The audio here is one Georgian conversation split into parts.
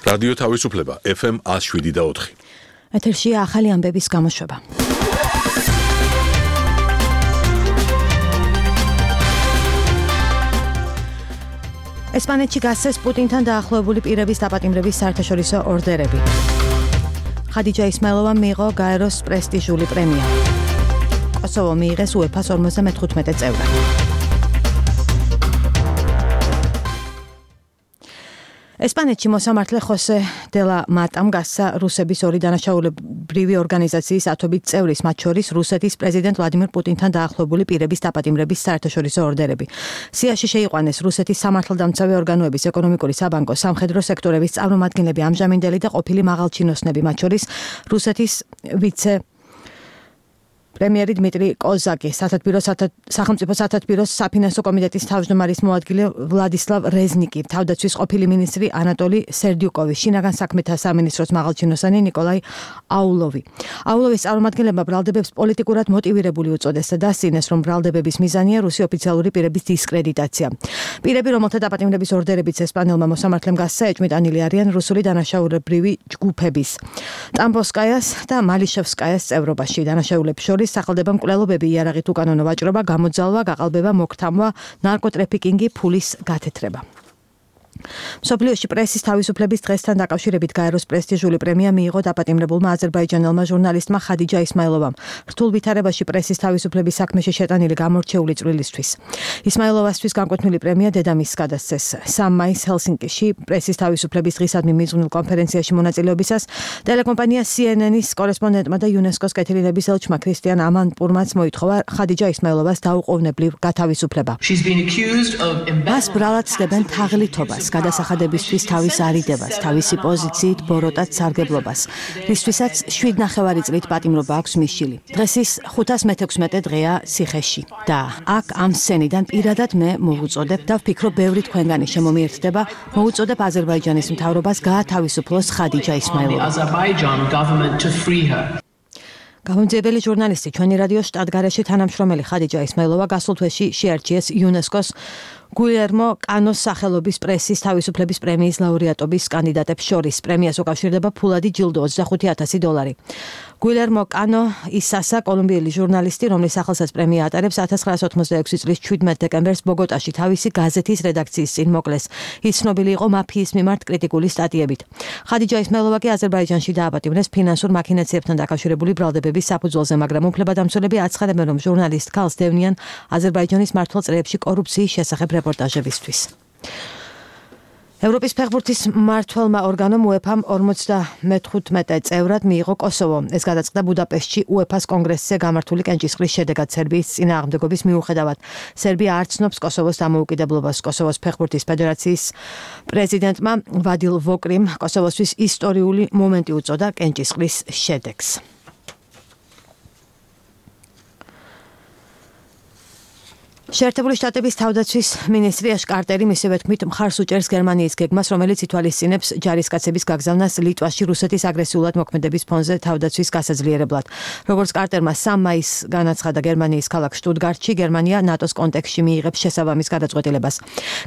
რადიო თავისუფლება FM 107.4. ეთერშია ახალი ამბების გამოშვება. ესპანეთში გასცეს პუტინთან დაახლოებული პირების დაპატიმრების საერთაშორისო ორდერები. ხადიჯა ისმაილოვამ მიიღო გაეროს პრესტიჟული პრემია. კოსოვო მიიღეს UEFA-ს 55 წევრად. ესპანეთში მოსამართლე ხოსე დე ლა მატამ გასცა რუსების ორი დანაშაულებრივი ორგანიზაციის ათობით წევრის, მათ შორის რუსეთის პრეზიდენტ ვლადიმირ პუტინთან დაახლოებული პირების დაპატიმრების საერთაშორისო ორდერები. სიაში შეიყვანეს რუსეთის სამართალდამცავი ორგანოების, ეკონომიკური, საბანკო, სამხედრო სექტორების წარმომადგენლები, ამჟამინდელი და ყოფილი მაღალჩინოსნები, მათ შორის რუსეთის ვიცე პრემიერი დმიტრი კოზაკი, სახელმწიფო სათათბიროს საფინანსო კომიტეტის თავმჯდომარის მოადგილე ვლადისლავ რეზნიკი, თავდაცვის ყოფილი მინისტრი ანატოლი სერდიუკოვი, შინაგან საქმეთა სამინისტროს მაღალჩინოსანი ნიკოლაი აულოვი. აულოვის წარმომადგენლებმა ბრალდებებს პოლიტიკურად მოტივირებული უწოდეს და დასცინეს, რომ ბრალდებების მიზანია რუსი ოფიციალური პირების დისკრედიტაცია. პირები, რომელთა დაპატიმრების ორდერებიც ესპანელმა მოსამართლემ გასცა, ეჭვმიტანილი არიან რუსული დანაშაულებრივი ჯგუფების ტამბოსკაიას და მალიშევსკაიას წევრობაში. დანაშაულებს შორის სახელდება მკვლელობები, იარაღით უკანონო ვაჭრობა, გამოძალვა, გაყალბება, მოქთამვა, ნარკოტრეფიკინგი, ფულის გათეთრება. მსოფლიოში პრესის თავისუფლების დღესთან დაკავშირებით გაეროს პრესტიჟული პრემია მიიღო დაპატიმრებულმა აზერბაიჯანელმა ჟურნალისტმა ხადიჯა ისმაილოვამ რთულ ვითარებაში პრესის თავისუფლების საქმეში შეტანილი გამორჩეული წვლილისთვის. ისმაილოვასთვის განკვეთილი პრემია დედამისს გადასცეს 3 მაისს ჰელსინკიში პრესის თავისუფლების დღისადმი მიძღვნილ კონფერენციაში მონაწილეობისას ტელეკომპანია CNN-ის კორესპონდენტმა და იუნესკოს კეთილინების ელჩმა ქრისტიან ამანპურმაც მოითხოვა ხადიჯა ისმაილოვას დაუყოვნებლივ გათავისუფლება. მას ბრალად ცდებენ თაღლითობას, გადასახადებისთვის თავის არიდებას, თავისი პოზიციით ბოროტად სარგებლობას, რისთვისაც 7,5 წლით პატიმრობა აქვს მისჯილი. დღეს ის 516 დღეა ციხეში და აქ ამ სცენიდან პირადად მე მოვუწოდებ და ვფიქრობ, ბევრი თქვენგანი შემომიერთდება, მოვუწოდებ აზერბაიჯანის მთავრობას გაათავისუფლოს ხადიჯა ისმაილოვა. გამომძიებელი ჟურნალისტი, ჩვენი რადიოს შტატგარეში თანამშრომელი ხადიჯა ისმაილოვა გასულ თვეში შეარჩიეს იუნესკოს გუილერმო კანოს სახელობის პრესის თავისუფლების პრემიის ლაურეატობის კანდიდატებს შორის. პრემიას უკავშირდება ფულადი ჯილდო $25,000. გუილერმო კანო ისასა კოლუმბიელი ჟურნალისტი, რომლის სახელსაც პრემია ატარებს, 1986 წლის 17 დეკემბერს ბოგოტაში თავისი გაზეთის რედაქციის წინ მოკლეს. ის ცნობილი იყო მაფიის მიმართ კრიტიკული სტატიებით. ხადიჯა ისმაილოვა კი აზერბაიჯანში დააპატიმრეს ფინანსურ მაქინაციებთან დაკავშირებული ბრალდებების საფუძველზე, მაგრამ უფლებადამცველები აცხადებენ, რომ ჟურნალისტ ქალს დევნიან აზერბაიჯანის მართულ წრეებში კორუფციის შესახებ რეპორტაჟებისთვის. ევროპის ფეხბურთის მმართველმა ორგანომ UEFA-მ 55 წევრად მიიღო კოსოვო. ეს გადაწყდა ბუდაპეშტში UEFA-ს კონგრესზე გამართული კენჭისყრის შედეგად სერბიის წინააღმდეგობის მიუხედავად. სერბია არ ცნობს კოსოვოს დამოუკიდებლობას. კოსოვოს ფეხბურთის ფედერაციის პრეზიდენტმა ვადილ ვოკრიმ კოსოვოსთვის ისტორიული მომენტი უწოდა კენჭისყრის შედეგს. შეერთებული შტატების თავდაცვის მინისტრი აშ კარტერი მისივე თქმით მხარს უჭერს გერმანიის გეგმას, რომელიც ითვალისწინებს ჯარისკაცების გაგზავნას ლიტვაში რუსეთის აგრესიულად მოქმედების ფონზე თავდაცვის გასაძლიერებლად. როგორც კარტერმა 3 მაისს განაცხადა გერმანიის ქალაქ შტუტგარტში, გერმანია ნატოს კონტექსტში მიიღებს შესაბამის გადაწყვეტილებას.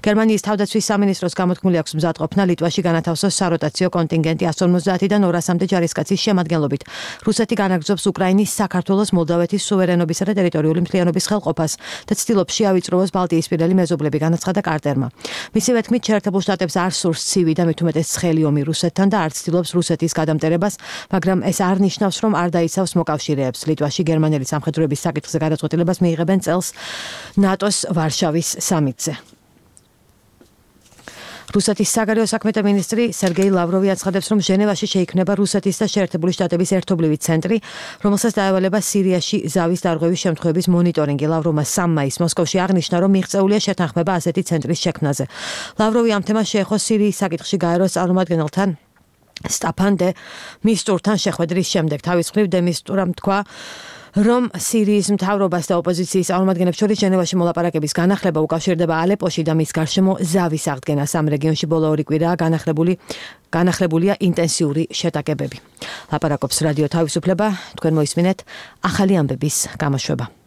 გერმანიის თავდაცვის სამინისტროს გამოთქმული აქვს მზადყოფნა ლიტვაში განათავსოს საროტაციო კონტინგენტი 150-დან 200-მდე ჯარისკაცის შემადგენლობით. რუსეთი განაგრძობს უკრაინის, საქართველოს, მოლდავეთის სუვერენობისა და ტერიტორიული მთლიანობის ხელყოფას და ცდილობს შეავიწროვოს ბალტიისპირელი მეზობლები, განაცხადა კარტერმა. მისივე თქმით, შეერთებულ შტატებს არ სურს ცივი და მით უმეტეს ცხელი ომი რუსეთთან და არ ცდილობს რუსეთის გადამტერებას, მაგრამ ეს არ ნიშნავს, რომ არ დაიცავს მოკავშირეებს. ლიტვაში გერმანელი სამხედროების საკითხზე გადაწყვეტილებას მიიღებენ წელს ნატოს ვარშავის სამიტზე. რუსეთის საგარეო საქმეთა მინისტრი სერგეი ლავროვი აცხადებს, რომ ჟენევაში შეიქმნება რუსეთის და შეერთებული შტატების ერთობლივი ცენტრი, რომელსაც დაევალება სირიაში ზავის დარღვევის შემთხვევების მონიტორინგი. ლავროვმა 3 მაისს მოსკოვში აღნიშნა, რომ მიღწეულია შეთანხმება ასეთი ცენტრის შექმნაზე. ლავროვი ამ თემას შეეხო სირიის საკითხში გაეროს წარმომადგენელთან სტაფან დე მისტურთან შეხვედრის შემდეგ. თავის მხრივ დე მისტურამ თქვა, რომ სირიის მთავრობას და ოპოზიციის წარმომადგენლებს შორის ჟენევაში მოლაპარაკების განახლება უკავშირდება ალეპოში და მის გარშემო ზავის აღდგენას. ამ რეგიონში ბოლო 2 კვირაა განახლებულია ინტენსიური შეტაკებები. ლაპარაკობს რადიო თავისუფლება, თქვენ მოისმინეთ ახალი ამბების გამოშვება.